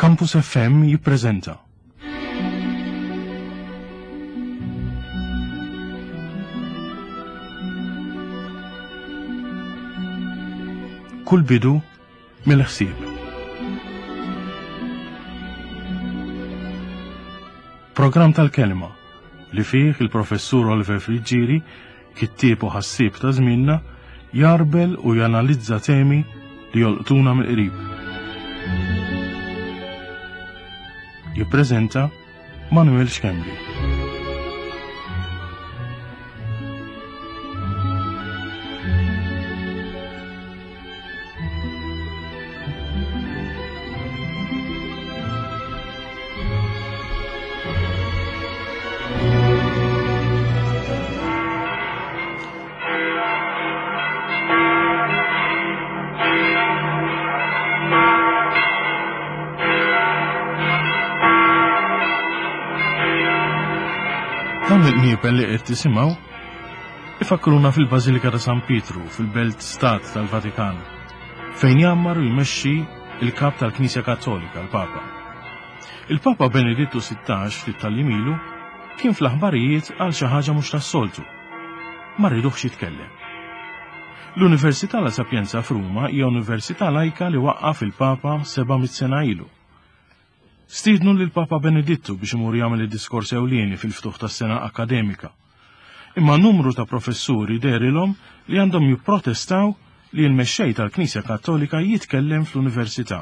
Campus FM jippreżenta. Kull bidu mill-ħsieb. Programm tal-kelma li fih il-professur Oliver Friggieri, kittieb u ħassieb ta' żmienna, jarbel u janalizza temi li jolqtuna mill-qrib. Jippreżenta Manuel Schembri. Dawn il-qniepen li qed tisimgħu ifakkruna fil-Bażilika ta' San Pietru fil-Belt Stat tal-Vatikan, fejn jgħammar u jmexxi il-Kap tal-Knisja Kattolika, l-Papa. Il-Papa Benedittu 16 ftit tal ilu kien fl-aħbarijiet għal xi ħaġa mhux tas-soltu. Ma rriduhx jitkellem. L-Università La Sapienza f'Ruma hija università lajka li waqqaf il-Papa 700 sena ilu. Stiednu lill-Papa Benedittu biex imur jagħmel id-diskors ewlieni fil-ftuħ tas-sena akkademika. Imma numru ta' professuri dehrilhom li għandhom jipprotestaw li l-mexxej tal-Knisja Kattolika jitkellem fl-università.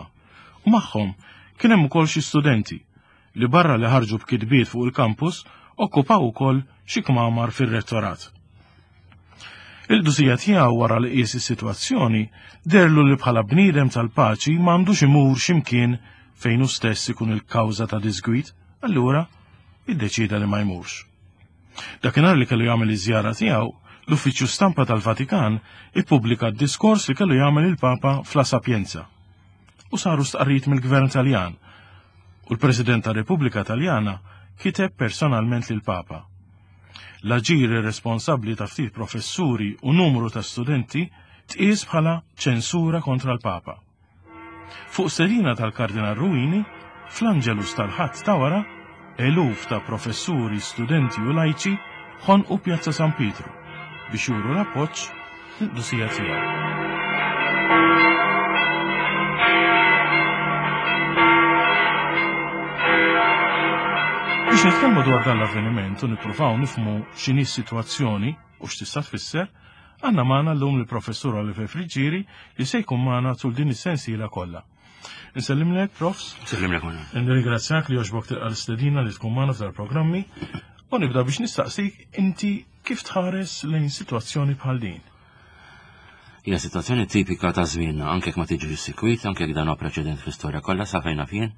U magħhom kien hemm ukoll xi studenti li barra li ħarġu b'kitbiet fuq il-kampus okkupaw ukoll xi kmamar fir-rettorat. Il-qdusija tiegħu wara li qies is-sitwazzjoni deherlu li bħala bniedem tal-paċi m'għandux imur x'imkien fejn hu stess ikun il-kawża ta' diżgwid, allura iddeċieda li ma jmurx. Dakinhar li kellu jagħmel iż-żjara tiegħu, l-Uffiċċju Stampa tal-Vatikan ippubblika d-diskors li kellu jagħmel il-Papa f'La Sapienza. U saru stqarrijiet mill-Gvern Taljan u l-President tar-Repubblika Taljana kiteb personalment lill-Papa. L-aġir irresponsabbli ta' ftit professuri u numru ta' studenti tqies bħala ċensura kontra l-Papa. Fuq stedina tal-Kardinal Ruini, fl-Angelus tal-Ħadd ta' wara, eluf ta' professuri, studenti u lajċi ħonqu Pjazza San Pietru biex juru l-appoġġ lill-qdusija tiegħu. Biex nitkellmu dwar dan l-avveniment u nippruvaw nifhmu x'inhi s-sitwazzjoni u x'tista' tfisser, għandna magħna llum lill-Professur Oliver Friggieri li se jkun magħna tul din is-sensiela kollha. Insellimlek, Profs. Insellimlek, Manuel. Nirringrazzjak li għoġbok tilqa' l-istedina li tkun magħna f'dar programmi u nibda biex nistaqsik inti kif tħares lejn sitwazzjoni bħal din. Hija sitwazzjoni tipika ta' żmienna, anke jekk ma tiġri sikwit, anke jekk dan huwa preċedent fl-istorja kollha sa fejn naf jien.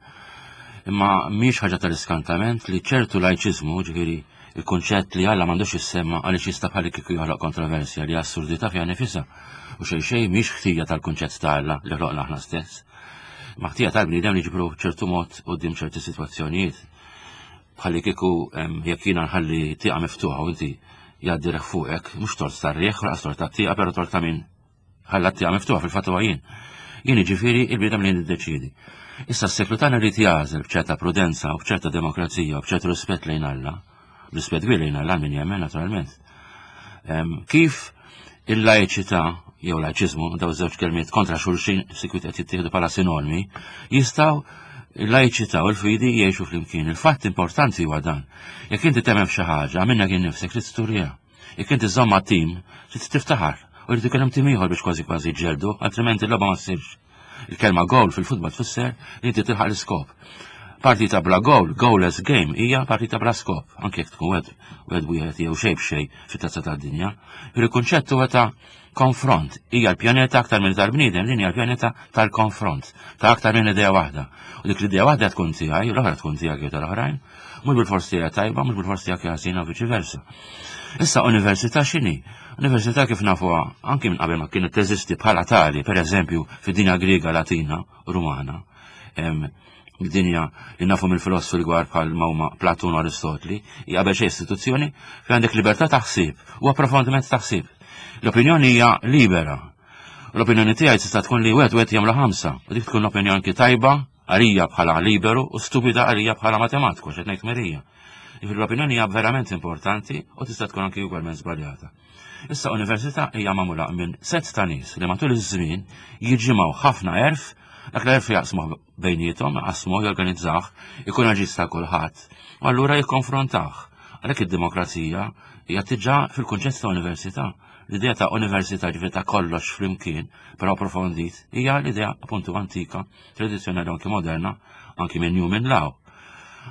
Imma mhix ħaġa tal-iskantament li ċertu lajċiżmu, ġifieri il-kunċett li Alla m'għandux jissemma għaliex jista' bħal kieku joħloq kontroversja li assurdità fiha nifisha u xejn xejn mhix ħtija tal-kunċett ta' Alla li ħloqna aħna stess. Ma ħtija tal-bniedem li ġibru ċertu mod quddiem ċerti sitwazzjonijiet. Bħalli kieku jekk jiena nħalli tieqa miftuħa u inti jgħaddi reħ fuqek, mhux tort tar-riħ, laqas tort tat-tieqa, però tort ta' min ħalla t-tieqa miftuħa fil-fatt huwa jien. Jien jiġifieri il-bniedem li niddeċiedi. Issa s-seklu tagħna rrid jagħżel b'ċerta prudenza u b'ċerta demokrazija u b'ċertu rispett lejn Alla, rispett kbir lejn Alla min jemmen naturalment. Kif il-lajċità jew lajċiżmu, daw żewġ kelmiet kontra xulxin sikwit qed jittieħdu bħala sinonimi, jistgħu il-lajċità u l-fidi jgħixu flimkien. Il-fatt importanti huwa dan. Jekk inti temmen f'xi ħaġa, minnek innifsek trid turija. Jekk inti żomm ma' tim, trid tiftaħar. U jrid ikun hemm tim ieħor biex kważi kważi ġeldu, altrimenti l-logħba ma ssirx. Il-kelma goal fil-futbol tfisser li inti tilħaq l-iskop. Partita bla goal, goalless game, hija partita bla skop, anke jekk tkun wieħed wieħed wieħed jew xejn b'xejn fit-tazza tad-dinja. Il-kunċett huwa ta' konfront. Hija l-pjaneta aktar minn tal-bniedem, din hija l-pjaneta tal-konfront, ta' aktar minn idea waħda. U dik l-idea waħda tkun tiegħi, l-oħra tkun tiegħek jew tal-oħrajn, mhux bil-fors tiegħi tajba, mhux bil-fors tiegħek ħażina u viċi versa. Issa università x'inhi? Università kif nafuha anki minn qabel ma kienet teżisti bħala tali, pereżempju fid-dinja Griega, Latina, Rumana. Dinja li nafu mill-filosfi l-gwar bħal ma huma Platun u Aristotli, hija qabel xejn istituzzjoni fejn għandek libertà ta' ħsieb u approfondiment ta' ħsieb. L-opinjoni hija libera. L-opinjoni tiegħi tista' tkun li wieħed wieħed jagħmlu ħamsa, u dik tkun l-opinjoni anki tajba. Għalija bħala liberu u stupida għalija bħala matematiku, x'qed ngħid merija. Jiġifieri l-opinjoni hija verament importanti u tista' tkun anki ugwalment żbaljata. Issa università hija magħmula minn set ta' nies li matul iż-żmien jiġimgħu ħafna għerf, dak l-għerf jaqsmuh bejniethom, jaqsmuh, jorganizzah, ikun aġis ta' kulħadd, u allura jikkonfrontah. Għalhekk id-demokrazija hija tiġà fil-kunċett ta' università. L-idea ta' università ġifieri ta' kollox flimkien, però approfondit, hija l-idea appuntu antika, tradizzjonali anki moderna, anki minn Newman Law,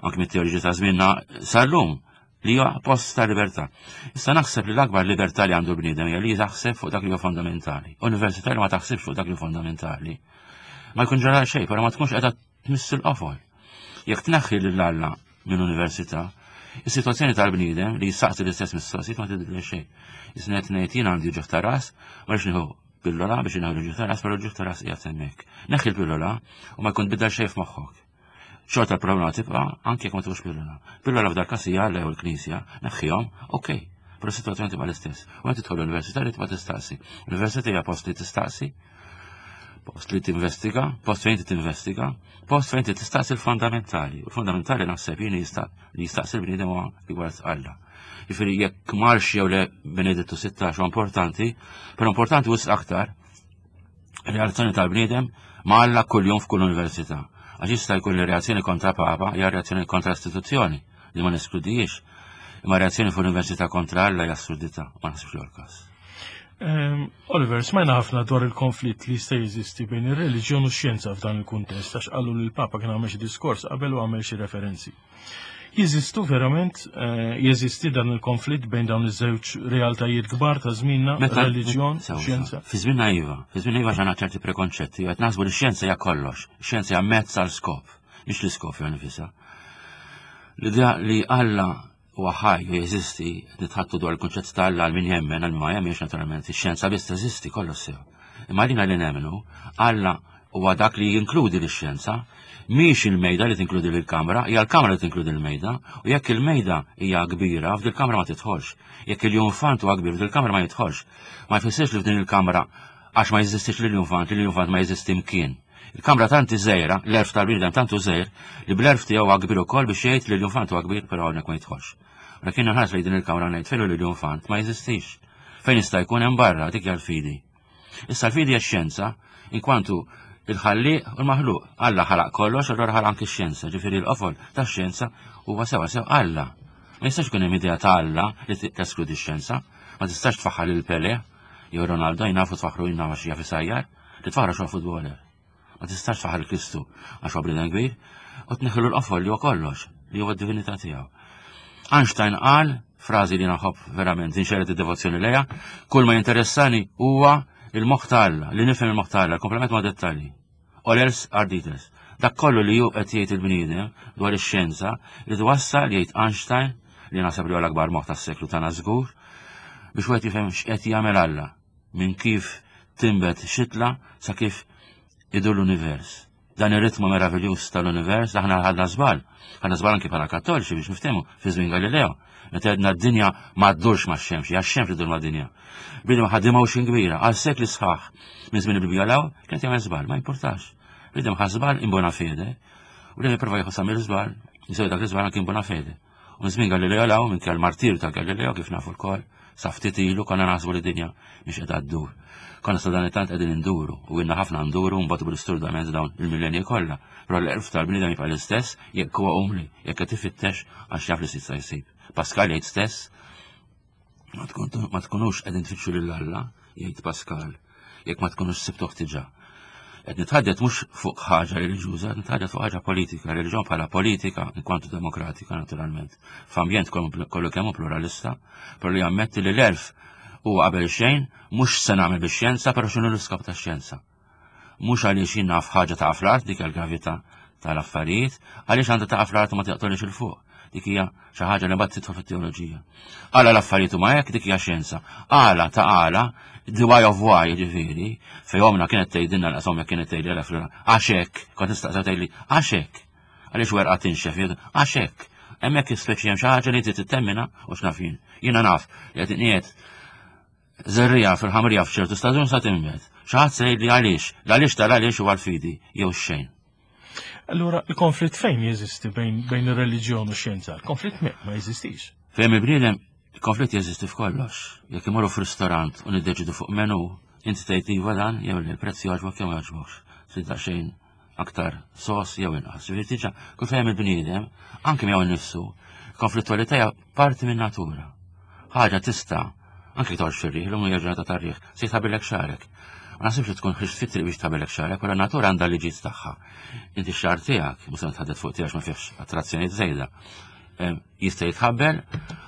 anki mit-teoriġi ta' żmienna sal-lum li huwa post ta' libertà. Issa naħseb li l-akbar libertà li għandu l-bniedem hija li jaħseb fuq dak li huwa fondamentali. Università li ma taħsibx fuq dak li huwa fondamentali. Ma jkun ġara xejn, però ma tkunx qiegħda tmiss il-qofol. Jekk tneħħi lil Alla minn università, is-sitwazzjoni tal-bniedem li jistaqsi l-istess mistoqsijiet ma tidilha xejn. Isna qed ngħid jien għandi ġuħ ta' ras, ma rridx nieħu pillola biex inħu l-ġuħ ta' ras, però l-ġuħ ta' ras qiegħed hemmhekk. Neħħi l-pillola u ma jkun tbiddel xejn f'moħħok. Xorta l-problema tibqa' anke jekk ma tieħux pillola. Pillola f'dal każ hija Alla jew il-Knisja, neħħihom, okej. Però s-sitwazzjoni tibqa' l-istess. U għed tidħol l-università li tibqa' tistaqsi. L-università hija post li tistaqsi, post li tinvestiga, post fejn tinvestiga, post fejn tistaqsi l-fondamentali. U l-fondamentali naħseb jien li jistaqsi l-bniedem huwa rigward Alla. Jiġifieri jekk marx jew le Benedittu 16 huwa importanti, però importanti wisq aktar reazzjoni tal-bniedem ma' Alla kuljum f'kull università. Għax jista' jkun li reazzjoni kontra Papa hija reazzjoni kontra istituzzjoni li ma neskludijiex. Imma reazzjoni fuq università kontra Alla hija assurdità, ma naħsibx li l-każ. Oliver, smajna ħafna dwar il-konflitt li jista' jeżisti bejn ir-reliġjon u x-xjenza f'dan il-kuntest għax qalu li l-Papa kien għamel xi diskors qabel u għamel xi referenzi. Jeżistu verament, eh, jeżisti dan il-konflitt bejn dawn iż-żewġ realtajiet kbar ta' żmienna, reliġjon, xjenza? Fi żmienna iva, fi żmienna iva ġana ċerti prekonċetti, qed naħsbu li x-xjenza hija kollox, x-xjenza hija mezz għal skop, mhix l-iskop jew nifisha. L-idea li Alla huwa ħaj u jeżisti, nitħattu dwar il-kunċett ta' Alla għal min jemmen, għal min ma jemmenx naturalment, ix-xjenza biss teżisti kollox sew. Imma għalina li nemmnu, Alla huwa dak li jinkludi lix-xjenza, mhix il-mejda li tinkludi lill-kamra, hija l-kamra li tinkludi l-mejda, u jekk il-mejda hija kbira, f'dil kamra ma tidħolx. Jekk il-junfant huwa kbir, f'dil kamra ma jidħolx. Ma jfissirx li f'din il-kamra għax ma jeżistix l-junfant, li l-junfant ma jeżisti mkien. Il-kamra tant żgħira, l-erf tal-bniedem tant hu żgħir, li bl-erf tiegħu huwa kbir ukoll biex jgħid li l-junfant huwa kbir però hawnhekk ma jidħolx. Mela kien nħares lejn din il-kamra ngħid fejn hu l-junfant ma jeżistix. Fejn jista' jkun hemm barra dik hija l-fidi. Issa l-fidi hija xjenza inkwantu il-ħallieq u l-maħluq. Alla ħalaq kollox, allura ħalaq anki x-xjenza, ġifieri l-qofol tax-xjenza huwa sewa sew Alla. Ma jistax ikun hemm idea ta' Alla li teskludi x-xjenza, ma tistax tfaħħar lil Pele jew Ronaldo jnafu tfaħħru jnafu għax jaf isajjar, li tfaħħru xogħol futboler. Ma tistax tfaħħar Kristu għax huwa bniedem kbir u tneħħilu l-qofol li huwa kollox, li huwa d-divinità tiegħu. Einstein qal frażi li naħobb verament inxerret id-devozzjoni lejha, kull ma jinteressani huwa il-moħħ ta' Alla, li nifhem il-moħħ ta' Alla, komplement ma' dettalji. All else are details. Dak kollu li ju qed jgħid il-bniedem dwar ix-xjenza li twassal jgħid Einstein li naħseb li huwa l-akbar moħħ tas-seklu tagħna żgur biex wieħed jifhem x'qed jagħmel Alla minn kif tinbet xitla sa kif idur l-univers. Dan ir-ritmu meraviljuż tal-univers aħna ħadna żball. Ħadna żball anki bħala kattoliċi biex niftehmu fi żmien Galileo. Meta għedna d-dinja ma ddurx max-xemx, hija x-xemx li ddur mad-dinja. Bniedem ħa motion kbira għal sekli sħaħ minn żmien il-Bibbja law kien jagħmel żball, ma jimpurtax. Bniedem ħa żball in bona fede u dejjem jipprova jieħu sa mill-żball, jisewwi dak l-iżball anki in bona fede. U minn żmien Galileo law minn kell martir ta' Galileo kif nafu lkoll, sa ftit ilu konna naħsbu li dinja mhix qiegħda ddur. Konna sa dan it-tant qegħdin induru u ilna ħafna nduru mbagħad bl-isturdament dawn il-millenji kollha. Però l-għerf tal-bniedem jibqa' l-istess jekk huwa umli, jekk qed ifittex għax jaf li s'issa jsib. Pascal jgħid stess Ma tkunux qegħdin tfittxu lil Alla, jgħid Pascal, jekk ma tkunux sibtuh diġà. Qed nitħaddet mhux fuq ħaġa reliġjuża, qed nitħaddet fuq ħaġa politika, reliġjon bħala politika, inkwantu demokratika naturalment. F'ambjent kollu kemm hu pluralista, però li jammetti li l-erf huwa qabel xejn, mhux se nagħmel bix-xjenza, però x'inhu l-iskop tax-xjenza. Mhux għaliex jien naf ħaġa taqa' fl-art dik il-gravità tal-affarijiet, għaliex għandha taqa' fl-art u ma taqtolix il fuq. Dik hija xi ħaġa li mbagħad tidħol fit-teoloġija. Għala l-affarijiet huma hekk dik hija xjenza. Għala ta' għala, the why of why ġifieri, fejn omna kienet tgħidilna l omja kienet tgħidli għala fl għax hekk, kont nistaqsa tgħidli għax hekk. Għaliex werqa tinxef, għax hekk. Hemmhekk ispeċi hemm xi ħaġa li inti titemmina u x'naf jien. Jiena naf li qed inqiegħed Żerriegħa fil-ħamrija f'ċertu staġun sa tinbet. Xi ħadd se jgħidli għaliex, l-għaliex tal-għaliex huwa l-fidi jew xejn. Allura, il-konflitt fejn jeżisti bejn, bejn ir-reliġjon u x-xjenza? Il-konflitt ma jeżistix. Fejn il-bniedem, il-konflitt jeżisti f'kollox. Jekk imorru f'ristorant u niddeċidu fuq menu, inti tgħid iva dan jew li l-prezz jogħġbok jew ma jogħġbokx. Trid daqsxejn aktar sos jew inqas. Ġifieri tiġa kull fejn il-bniedem, anke miegħu nnifsu, konflittwalità hija parti minn natura. Ħaġa tista' anke toqgħodx fir-riħ, l-lum hija ġurnata tar-riħ, se jitħabilek xagħrek. Ma naħsibx li tkun ħriġt fit-triq biex tħabilek xagħrek, però natura għandha liġijiet tagħha. Inti x-xagħar tiegħek, mhux se nitħaddet fuq tiegħek ma fihx attrazzjonijiet żejda. Jista' jitħabbel,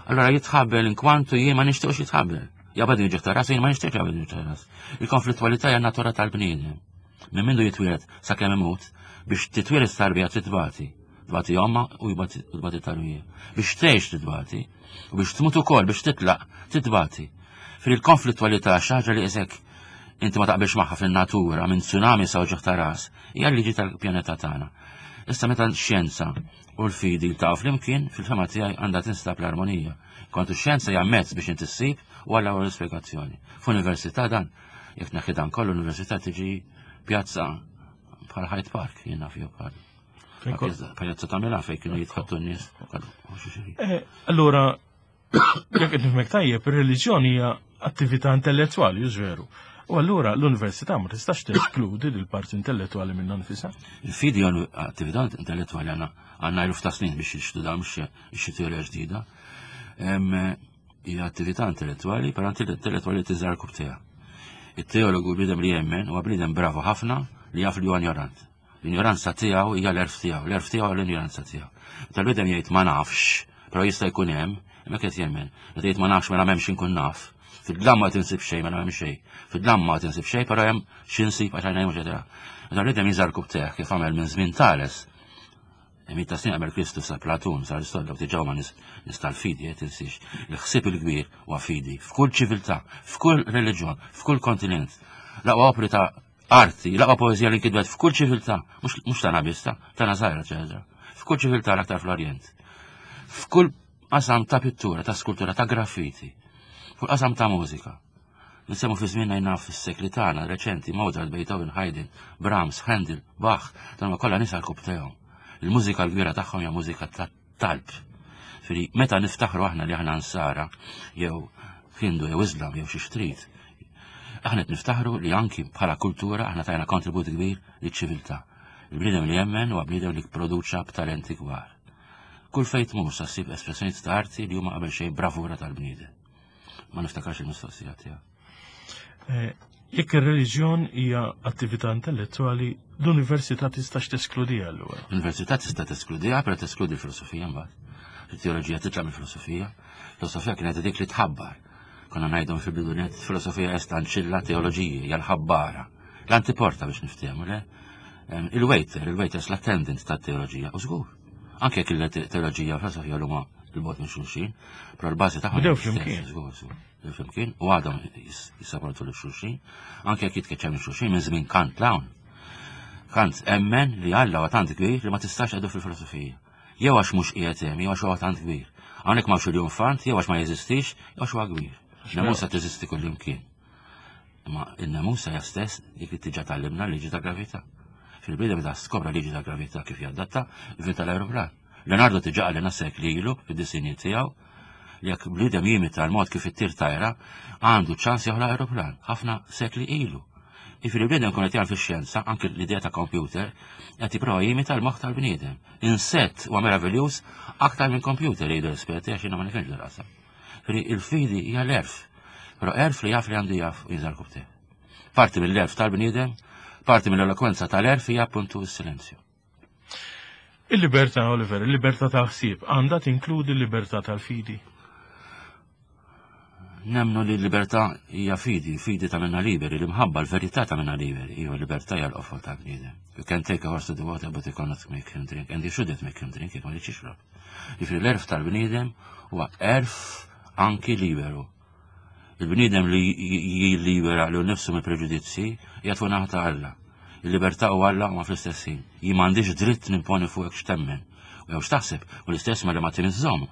allora jitħabbel inkwantu jien ma nixtieqx jitħabbel. Jabad ġeħ ta' ras, jien ma nixtieqx jabad ġeħ ta' ras. Il-konflittwalità hija natura tal-bniedem. Minn mindu jitwieled sakemm imut, biex titwieled tarbija trid tbati. Tbati omma u jbati tarbija. Biex tgħix titbati, u biex tmut ukoll biex titlaq titbati. Fil-konflittwalità xi ħaġa li isek inti ma taqbilx magħha fin-natura minn tsunami sa uġigħ ta' ras, hija l-liġi tal-pjaneta tagħna. Issa meta x-xjenza u l-fidi jiltaqgħu flimkien, fil-fema tiegħi għandha tinstab l-armonija. Kontu x-xjenza hija mezz biex inti ssib u għalla l-ispjegazzjoni. F'università dan Jekk tneħħi dan kollu l-università tiġi pjazza bħal Hyde Park, jien naf jew bħal. Pjazza ta' Milan fejn kienu jitħattu n-nies. Eh, allura, jekk qed nifhmek tajjeb, ir-reliġjon hija attività intellettwali, hux veru. U allura l-università ma tistax teskludi l parti intellettwali minn nfisha. Il-fidi attività intellettwali għandna għandna eluf ta' snin biex jixtu dan mhux xi teorija ġdida. Hija attività intellettwali, però intellettwali tiżar kubtija. Il-teologu bniedem li jemmen huwa bniedem bravo ħafna li jaf li huwa ignorant. L-ignoranza tiegħu hija l-erf tiegħu, l-erf tiegħu l-ignoranza tiegħu. Meta l-bniedem jgħid ma nafx, però jista' jkun hemm, imma qed jemmen. Meta jgħid ma nafx mela m'hemmx inkun naf. Fid-dlam ma tinsib xejn mela m'hemm xejn. Fid-dlam ma tinsib xejn, però hemm xi nsib għax għajnejn mhux Meta l-bniedem jiżar kubteh kif għamel minn żmien Tales, Mitt ta' snin qabel Kristu sa Platun, sa Aristotle, dawk diġà huma nies nies tal-fidi, eh, tinsiex. Il-ħsieb il-kbir huwa fidi f'kull ċiviltà, f'kull reliġjon, f'kull kontinent. L-aqwa opri ta' arti, l-aqwa poeżija li nkitbet f'kull ċiviltà, mhux tagħna biss, ta' tagħna żgħira ċeżra. F'kull ċiviltà l-aktar fl-Orjent. F'kull qasam ta' pittura, ta' skultura, ta' graffiti, f'kull qasam ta' mużika. Nsemmu fi żmienna jien naf fis-sekli tagħna reċenti Mozart, Beethoven, Haydn, Brahms, Handel, Bach, dawn huma kollha nies għall-kub Il-mużika l-kbira tagħhom hija mużika ta' talb. Firi, meta niftaħru aħna li aħna nsara jew Hindu jew Islam jew xi xtrid, aħna qed niftaħru li anki bħala kultura aħna tajna kontribut kbir liċ-ċiviltà. Il-bniedem li jemmen huwa bniedem li produċa b'talenti kbar. Kull fejn tmur sa ssib espressjonijiet ta' arti li huma qabel xejn bravura tal-bniedem. Ma niftakarx il-mistoqsija tiegħek. Eh, jekk ir-reliġjon hija attività intellettwali, l-università tistax teskludiha allura. L-università tista' teskludiha, però teskludi l-filosofija mbagħad. Il-teoloġija titlaq mill-filosofija. Filosofija kienet dik li tħabbar. Konna ngħidhom fil-bidunet, filosofija est ancilla teoloġiji, hija l-ħabbara. L-antiporta biex niftehmu, le? Il-waiter, il-waiters, l-attendant tat-teoloġija, u żgur. Anke jekk il-teoloġija u filosofija l-huma il-bot minn xulxin, però l-bażi tagħhom. Bdew flimkien. Bdew flimkien u għadhom jissaportu lil xulxin, anke jekk jitkeċċew minn xulxin minn żmien Kant l-hawn. Kant emmen li Alla huwa tant kbir li ma tistax għadu fil-filosofija. Jew għax mhux qiegħed hemm, jew għax huwa tant kbir. Hawnhekk m'hawnx il-jumfant, jew għax ma jeżistix, jew għax huwa kbir. Nemusa teżisti kullimkien. Imma in-nemusa hija stess dik li tiġa tgħallimna liġi ta' gravità. Fil-bidem meta skopra liġi ta' gravità kif jadatta, vinta l-aeroplan. Leonardo tiġa qalilna sekli ilu fid-disinji tiegħu li jekk bniedem jimita l-mod kif ittir tajra, għandu ċans joħloq aeroplan, ħafna sekli ilu. Jiġifieri bniedem kun qed jagħmel fix-xjenza, anke l-idea ta' computer, qed jipprova jimita l-moħħ tal-bniedem. Insett huwa meraviljuż aktar minn computer jgħidu l-esperti għax jiena ma nifhimx dil-qasam. Jiġifieri il-fidi hija l-erf, però erf li jaf li għandu jaf u jinżar kubteh. Parti mill-erf tal-bniedem, parti mill-elokwenza tal-erf hija appuntu s-silenzju. Il-libertà, Oliver, il-libertà tal-ħsieb għandha tinkludi l-libertà tal-fidi. Nemnu li l-libertà hija fidi, fidi ta' minna liberi, l-imħabba, l-verità ta' minna liberi, hija l-libertà hija l-qofol ta' bniedem. You can take a horse to the water, but you cannot make him drink, and you shouldn't make him drink, jekk ma jixrob. Jiġifieri l-erf tal-bniedem huwa erf anki liberu. Il-bniedem li jillibera li nifsu mill preġudizzji qiegħed fuq naħa ta' Alla. Il-libertà u Alla huma fl-istess ħin. Jien m'għandix dritt nimponi fuqek x'temmen. U jew x'taħseb, u l-istess ma li ma timiżżomm,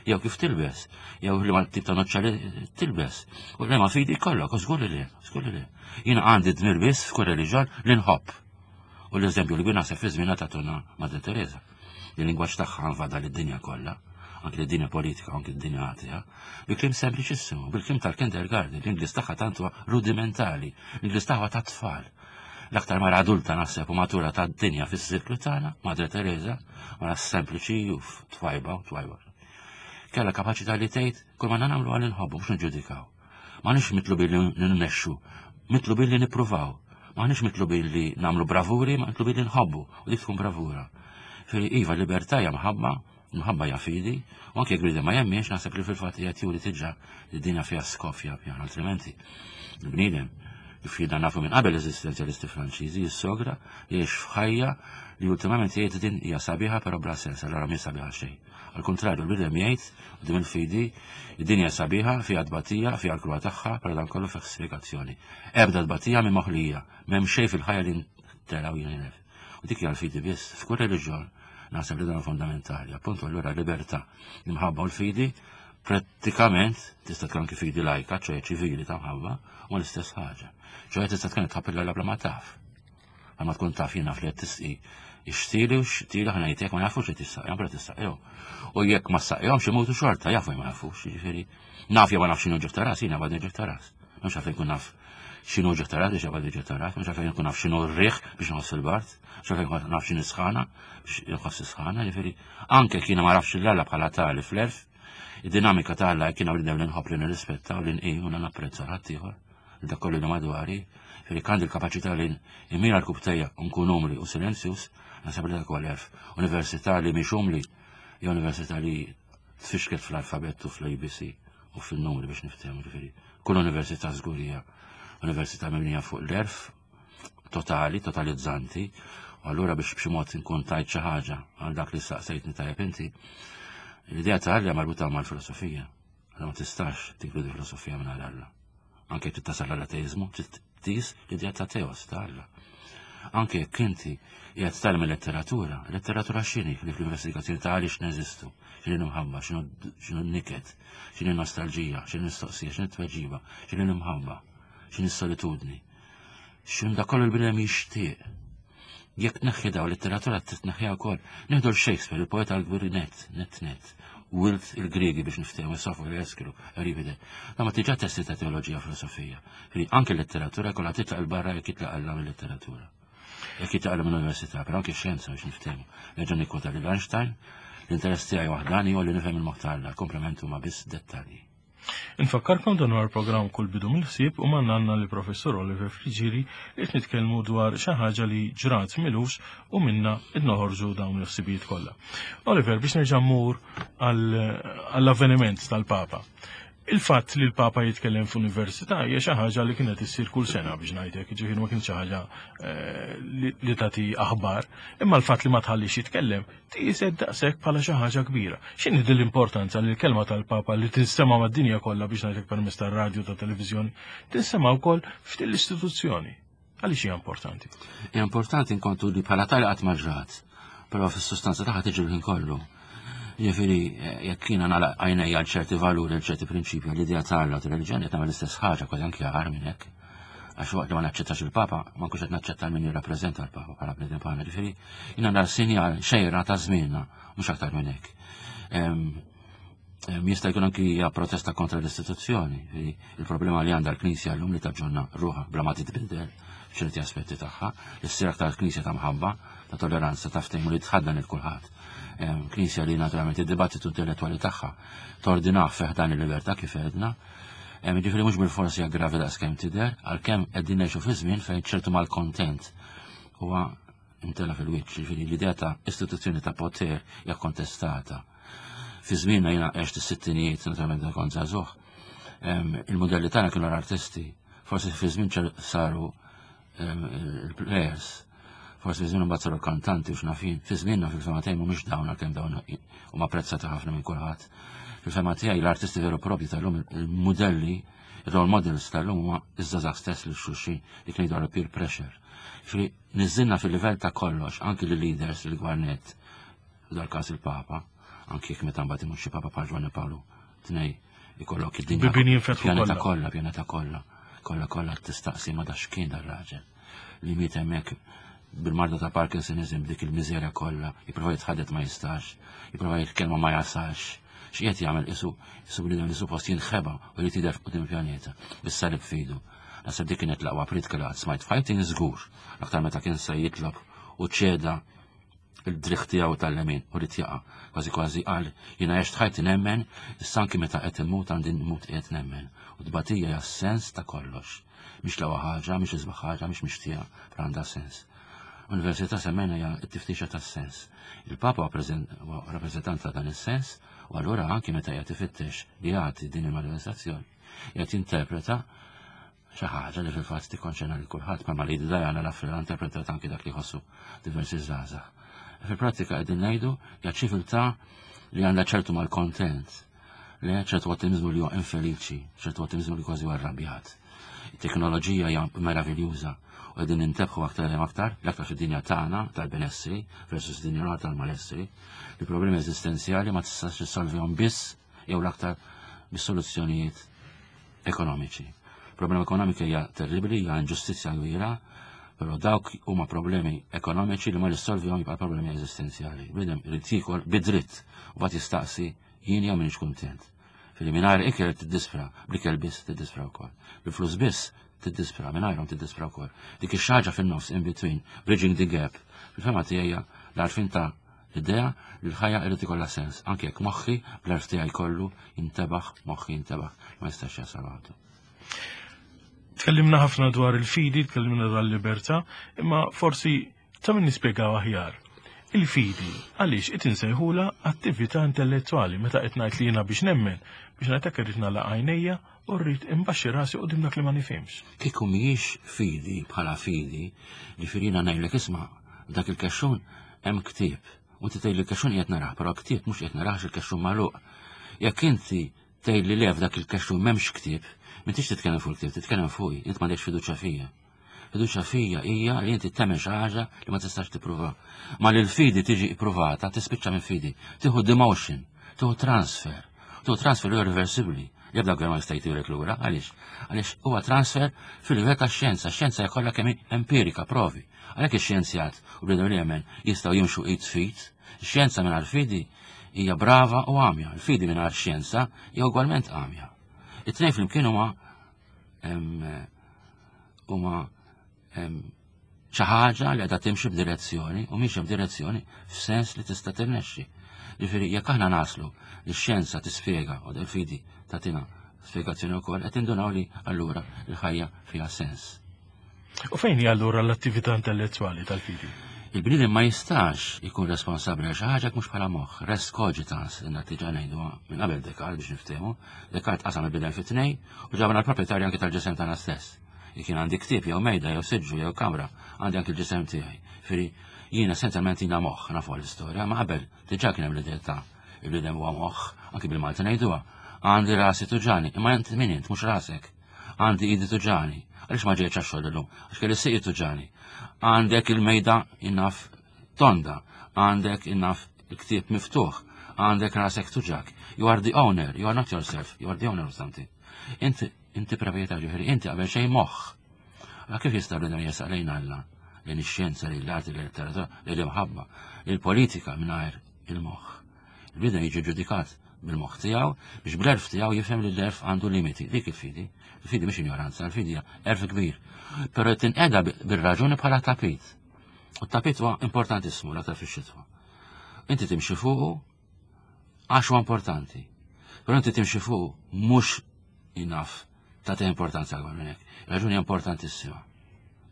jew kif tilbes, jew li ma tip ta' noċċa li tilbes, u li ma fidi kollok, u żgur li le, żgur li le. Jiena għandi dmir biss f'kull reliġjon li nħobb. U l-eżempju li naħseb fi żmienha tagħtuna Madre Teresa. Il-lingwaġġ tagħha nvada lid-dinja kollha, anke lid-dinja politika, anke d-dinja atea, bi kliem sempliċissimu, bil-kliem tal-kindergarten, l-Ingliż tagħha tant huwa rudimentali, l-Ingliż tagħha ta' tfal. L-aktar mara adulta naħseb u matura ta' dinja fis-sirklu tagħna, Madre Teresa, mara sempliċi u twajba u twajba. Kella kapaċità li tgħid kull ma nagħmlu għal inħobbu mhux niġġudikaw. M'aħniex mitlubin li nmexxu, mitlubin li nippruvaw. M'aħniex mitlubin li nagħmlu bravuri, ma mitlubin li nħobbu u dik tkun bravura. Firi iva libertà hija mħabba, mħabba hija fidi, u anke jekk bniedem ma jemminx naħseb li fil-fatt qiegħed juri diġà li d-dinja fiha skop fiha pjan, altrimenti il-bniedem kif jiena nafu minn qabel eżistenzjalisti Franċiżi jissogra jgħix f'ħajja li ultimament jgħid din hija sabiħa però bla sens, allura mhi sabiħa xejn. Al kontrarju, l-bniedem jgħid, quddiem il-fidi, id-dinja sabiħa, fiha tbatija, fiha l-kruha tagħha, però dan kollu fih spjegazzjoni. Ebda tbatija mhi moħlija, m'hemm xejn fil-ħajja li ntela' u jinilef. U dik hija l-fidi biss, f'kull reliġjon naħseb li dan fondamentali. Appuntu allura libertà, l-imħabba u l-fidi prattikament tista' tkun anki fidi lajka, ċoħe ċivili ta' mħabba, u l-istess ħaġa. ċoħe tista' tkun tħabb il bla ma taf. Ma tkun taf jiena fli qed tisqi ixtili u xtili ħana jtek ma jafux li tissaqjom, pero tissaqjom. U jekk ma saqjomx imutu xorta, jafu ma jafux, jiġifieri. Naf jew ma nafx x'inhu ġieħ ta' ras, jiena għadni ġieħ ta' ras. Mhux għalfejn nkun naf x'inhu ġieħ ta' ras biex għadni ġieħ ta' ras, mhux għalfejn nkun naf x'inhu r-riħ biex nħoss il-bard, mhux għalfejn nkun naf x'inhi sħana biex nħoss is-sħana, jiġifieri anke jekk jiena ma nafx l-Alla bħala tali fl-erf, id-dinamika ta' Alla jekk jiena bniedem li nħobb li nirrispetta u li nqim u napprezza ħaddieħor dak kollu li madwari, fili għandi l-kapaċità li immira l-kubtejja u nkun umli u silenzjus, naħseb li dak huwa l-erf. Università li mhix umli, hija università li tfixket fl-alfabett u fl-ABC u fil-numri biex niftehmu ġifieri. Kull università żgur hija università mibnija fuq l-erf totali, totalizzanti, u allura biex b'xi mod nkun tajt xi ħaġa għal dak li saqsejtni tajjeb inti, l-idea ta' Alla marbuta mal-filosofija. Alla ma tistax tinkludi filosofija minn Alla. Anke jekk tasal għall-ateizmu, trid tqis l-idea ta' teos ta' Alla. Anke jekk inti qiegħed tagħlem il-letteratura, letteratura x'inhi li fl-investigazzjoni ta' għaliex neżistu, x'inhi l-imħabba, x'inhu n-niket, x'inhi nostalġija, x'inhi mistoqsija, x'inhi tweġiba, x'inhi l-imħabba, x'inhi s-solitudni. X'inhu dak kollu l-bniedem jixtieq. Jekk tneħħi daw letteratura titneħħiha wkoll. Nieħdu l-Shakespeare, il-poeta l-kbir net, net net. Wilt il-Griegi biex niftehmu Sofokle, Eskilu, Euripide. Ma ma tiġa testi ta' teoloġija filosofija. Li anke letteratura kollha titlaq il-barra jekk jitlaq Alla mill-letteratura. Jekk jitlaq Alla mill-università, però anke xjenza biex niftehmu. Nerġa' nikkwota lil Einstein, l-interess tiegħi waħdani huwa li nifhem il-moħħ ta' Alla, komplement huma biss dettalji. Infakkarkom dan huwa l-programm Kull Bidu mill-Ħsieb u magħna għandna lill Professur Oliver Friggieri li qed nitkellmu dwar xi ħaġa li ġrat milux u minna qed noħorġu dawn il-ħsibijiet kollha. Oliver, biex nerġa' mmur għall-avveniment tal-Papa. Il-fatt li l-Papa jitkellem f'università hija xi ħaġa li kienet issir kull sena biex ngħidlek, jiġifieri ma kienx xi ħaġa eh, li tagħti aħbar, imma l-fatt li ma tħallix jitkellem tqiset daqshekk bħala xi ħaġa kbira. X'inhi din l-importanza li l-kelma tal-Papa li tinstema' mad-dinja kollha biex ngħidlek permezz tar-radju ta' televiżjoni, tinstema' wkoll f'din l-istituzzjoni? Għaliex hija importanti? Hija importanti inkontu li bħala tali qatt ma ġrat, però fis-sustanza tagħha tiġi l-ħin kollu. Jiġifieri eh, jekk jiena nagħlaq għajnejja għal ċerti valuri, għal ċerti prinċipji, l-idea ta' Alla u reliġjoni qed nagħmel l-istess ħaġa kważi anke agħar minn hekk. Għax waqt li ma naċċettax il-Papa, ma nkunx qed naċċetta min jirrappreżenta l-Papa bħala bniedem bħalna. Ġifieri, jiena nara sinjal xejra ta' żmienna, mhux aktar minn hekk. Jista' jkun anki hija protesta kontra l-istituzzjoni. Il-problema li għandha l-Knisja llum li taġġorna ruħha bla ma titbiddel f'ċerti aspetti tagħha, li ssir aktar Knisja ta' mħabba, ta' tolleranza, ta' ftehim li tħaddan il kulħadd. Knisja li naturalment id-dibattitu intellettwali tagħha tordinah fih dan il-libertà kif għedna, Jiġifieri mhux bil-forsi hija gravi daqskemm tidher, għalkemm qegħdin ngħixu fi żmien fejn ċertu malkontent huwa imtela fil-wiċċ, jiġifieri l-idea ta' istituzzjoni ta' poter hija kontestata. Fi żmienna jiena għext is-sittinijiet, naturalment kont żagħżugħ, il-modelli tagħna kienu l-artisti, forsi fi żmien saru il-players, forsi fi żmien mbagħad saru kantanti u x'nafin, fi żmienna fil-fema tiegħi mhumiex dawn għalkemm dawn huma apprezzati ħafna minn kulħadd. Fil-fema tiegħi l-artisti veru propri tal-lum il-modelli, il-role models tal-lum huma iż-żgħażagħ stess li xulxin li kienu jgħidu peer pressure. Ġifieri niżilna fil-livell ta' kollox, anki l-leaders, il-gwarnet, dal-każ il-Papa, anki jekk meta mbagħad imut xi Papa bħal Ġwanni Pawlu tnej ikollok id-dinja. Bibien jinfetħu Pjaneta kollha, pjaneta kollha. Kollha kollha tistaqsi ma da x'kien dar-raġel li miet hemmhekk bil-marda ta' Parkinsonism dik il-miżerja kollha, jipprova jitħaddet ma jistax, jipprova jitkellma ma jasalx. X'qiegħed jagħmel isu isu bniedem li suppost jinħeba u jrid jidher quddiem il-pjaneta, bis-salib fidu. Naħseb dik kienet l-aqwa pritka li qatt smajt f'ħajti żgur, aktar meta kien se jitlob u ċeda il-driħ tiegħu tal-lemin u rid jaqa'. Kważi kważi qal jiena għext ħajti nemmen, issa anki meta qed immut għandi nmut qiegħed nemmen. U tbatija hija sens ta' kollox. Mhix l-ewwel ħaġa, mhix isbaħ ħaġa, mhix mixtieqa, però għandha sens. Università semmejna hija t-tiftixa tas-sens. Il-Papa huwa rappreżentant ta' dan is-sens u allura anki meta qiegħed ifittex li jagħti din il-manifestazzjoni, qiegħed jinterpreta xi ħaġa li fil-fatt tikkonċerna lil kulħadd bħalma Lady Diana l-Afrika interpretat anki dak li jħossu diversi żgħażagħ. Fil-prattika qegħdin ngħidu hija ċiviltà li għandha ċertu mal-kontent, li ċertu ottimizmu li huwa infeliċi, ċertu ottimizmu li kważi huwa arrabjat. It-teknoloġija hija meraviljuża u qegħdin nintebħu aktar u aktar, l-aktar fid-dinja tagħna tal-benessri versus dinja tal-malessri, li problemi eżistenzjali ma tistax tissolvihom biss jew l-aktar bis-soluzzjonijiet ekonomiċi. Problema ekonomika hija terribbli, hija inġustizzja kbira, però dawk huma problemi ekonomiċi li ma jissolvihom jibqa' problemi eżistenzjali. Bniedem irid jiekol bidritt u bagħad jistaqsi jien jew m'iniex kuntent. Fili mingħajr ikel tiddispra, bl-ikel biss tiddispra wkoll. Bil-flus biss tiddispra, mingħajrhom tiddispra wkoll. Dik ix-xaġa fin-nofs in between, bridging the gap. Fil-fema tiegħi l-għarfien ta' L-idea li l-ħajja irid ikollha sens, anke jekk moħħi bl-għerf tiegħi kollu jintebaħ, moħħi jintebaħ, ma jistax jasal waħdu. Tkellimna ħafna dwar il-fidi, tkellimna dwar il-libertà, imma forsi ta' min nispjegaw aħjar. Il-fidi, għaliex qed insejħula attività intellettwali meta qed ngħid li jiena biex nemmen, biex ngħid hekk irrid nagħlaq għajnejja u rrid imbaxxi rasi qudiem dak li ma nifhimx. Kieku mhijiex fidi bħala fidi, ġifieri jiena ngħidlek isma' dak il-kexxun hemm ktieb. U inti tgħidli l-kexxun qiegħed narah, però ktieb mhux qiegħed narah il-kexxun magħluq. Jekk inti tgħidli le f'dak il-kexxun m'hemmx ktieb, m'intix titkellem fuq il-ktieb, titkellem fuqi, int m'għandekx fiduċja fija. Fiduċja fija hija li inti temmen xi ħaġa li ma tistax tippruva. Ma li l-fidi tiġi ippruvata, tispiċċa minn fidi. Tieħu demotion, tieħu transfer. Tieħu transfer li irreversibbli. L-ebda gvern ma jista' jtirek lura, għaliex? Għaliex huwa transfer fil-livell tax-xjenza, x-xjenza hija kollha kemm empirika, provi. Għalhekk ix-xjenzjat u bnedmin li jemmen jistgħu jimxu id f'id. Ix-xjenza mingħajr fidi hija brava u għamja, il-fidi mingħajr xjenza hija ugwalment għamja. It-tnejn flimkien huma huma xi ħaġa li qiegħda timxi b'direzzjoni u mixja b'direzzjoni f'sens li tista' tirnexxi. Ġifieri jekk aħna naslu li x-xjenza tispjega u del-fidi tagħtina spjegazzjoni wkoll qed indunaw li allura l-ħajja fiha sens. U fejn hija allura l-attività intellettwali tal-fidi? Il-bniedem ma jistax ikun responsabbli għal xi ħaġa mhux bħala moħħ, res cogitans, inna diġà ngħiduha minn qabel Descartes biex niftehmu. Descartes qasam il-bniedem fi tnej u ġabna l-proprjetarju anke tal-ġisem tagħna stess. Jekk jien għandi ktieb jew mejda jew siġġu jew kamra, għandi anke l-ġisem tiegħi. Firri jien essenzjalment jiena moħħ, nafu l-istorja, ma qabel diġà kien hemm l-idea ta' il-bniedem huwa moħħ, anke bil-Malti ngħiduha. Għandi rasi tuġani, imma int min int mhux rasek. Għandi idi tuġani, għaliex ma ġejtx għax-xogħol illum, għax kelli siqi tuġani. Għandek il-mejda innaf tonda, għandek innaf il-ktieb miftuħ, għandek rasek tuġak. You are the owner, you are not yourself, you are the owner of something. Inti Inti proprjetarju, ġifieri inti qabel xejn moħħ. Allora kif jista' bnedem jesaq lejn Alla, lejn ix-xjenza, lejn l-arti, lejn letteratura, lejn l-imħabba, lejn il-politika mingħajr il-moħħ. Il-bniedem jiġi ġudikat bil-moħħ tiegħu biex bl-erf tiegħu jifhem li l-erf għandu limiti. Dik il-fidi. Il-fidi mhix injoranza, il-fidi hija erf kbir. Però tinqeda bir-raġuni bħala tapit. U t-tapit huwa importantissimu l-aktar fix-xitwa. Inti timxi fuqu Għax huwa importanti. Però inti timxi fuq mhux enough tagħti importanza akbar minn hekk. Raġuni importantissima.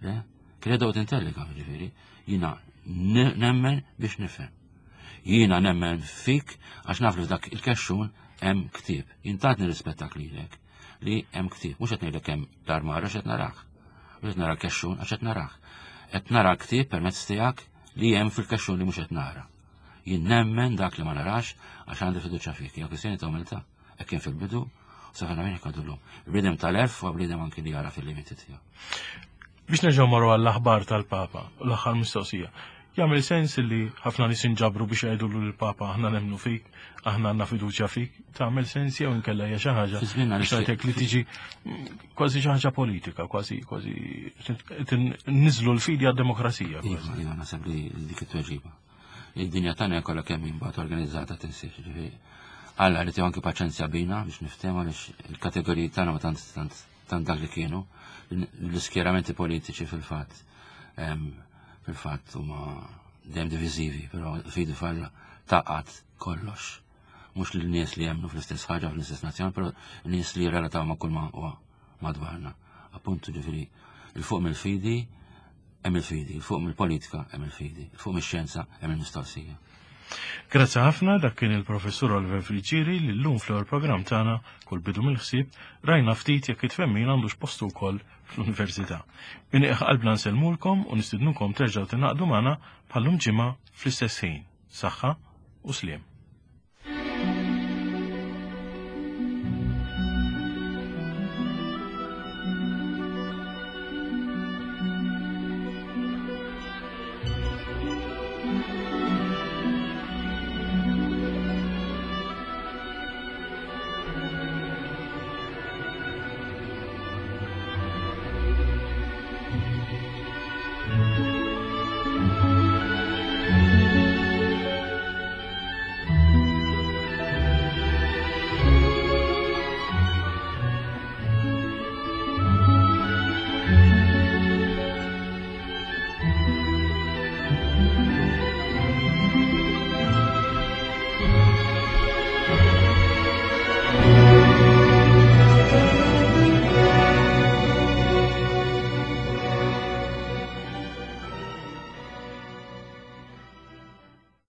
Le? Credo ut intelliga, ġifieri, jiena nemmen biex nifhem. Jiena nemmen fik għax naf li f'dak il-kexxun hemm ktieb. Jien tant nirrispettak lilek li hemm ktieb. Mhux qed ngħidlek hemm l-armar għax qed narah. Mhux qed nara l-kexxun għax qed narah. Qed nara l-ktieb permezz tiegħek li hemm fil-kexxun li mhux qed nara. Jien nemmen dak li ma narax għax għandi fiduċja fik. Hija kwistjoni ta' umiltà. Hekk kien fil-bidu, u sa fejn hekk għadu llum. Il-bniedem tal-erf huwa bniedem anki li jara fil-limiti tiegħu. Biex nerġgħu marru għall-aħbar tal-Papa, l-aħħar mistoqsija. Jagħmel sens li ħafna nies inġabru biex jgħidu lill-Papa aħna nemmnu fik, aħna għandna fiduċja fik, tagħmel sens jew inkella hija xi ħaġa biex ngħidlek li tiġi kważi xi ħaġa politika, kważi kważi niżlu l-fidi għad-demokrazija. Iva, iva, naħseb li dik it-tweġiba. Id-dinja tagħna kollha kemm imbagħad organizzata tinsiex, ġifieri. Alla li anki paċenzja bina biex niftehmu għaliex il-kategoriji tagħna ma tant tant tant dak li kienu l-iskjeramenti politiċi fil-fatt fil-fatt huma dejjem diviżivi, però fidi falla taqgħad kollox. Mhux l-nies li jemmnu fl-istess ħaġa fl-istess nazzjon, però nies li jirrelataw ma' kull ma huwa madwarna. Appuntu ġifieri il fuq mill-fidi hemm il-fidi, il fuq mill-politika hemm il-fidi, il fuq mix-xjenza hemm il-mistoqsija. Grazzi ħafna dak kien il-professur Oliver Friggieri li llum fl-ewwel programm tagħna kull bidu mill-ħsieb rajna ftit jekk it-twemmin għandux postu wkoll fl-università. Min qalbna nsellmulkom u nistidnukom terġgħu tingħaqdu magħna bħallum ġimgħa fl-istess ħin. Saħħa u sliem.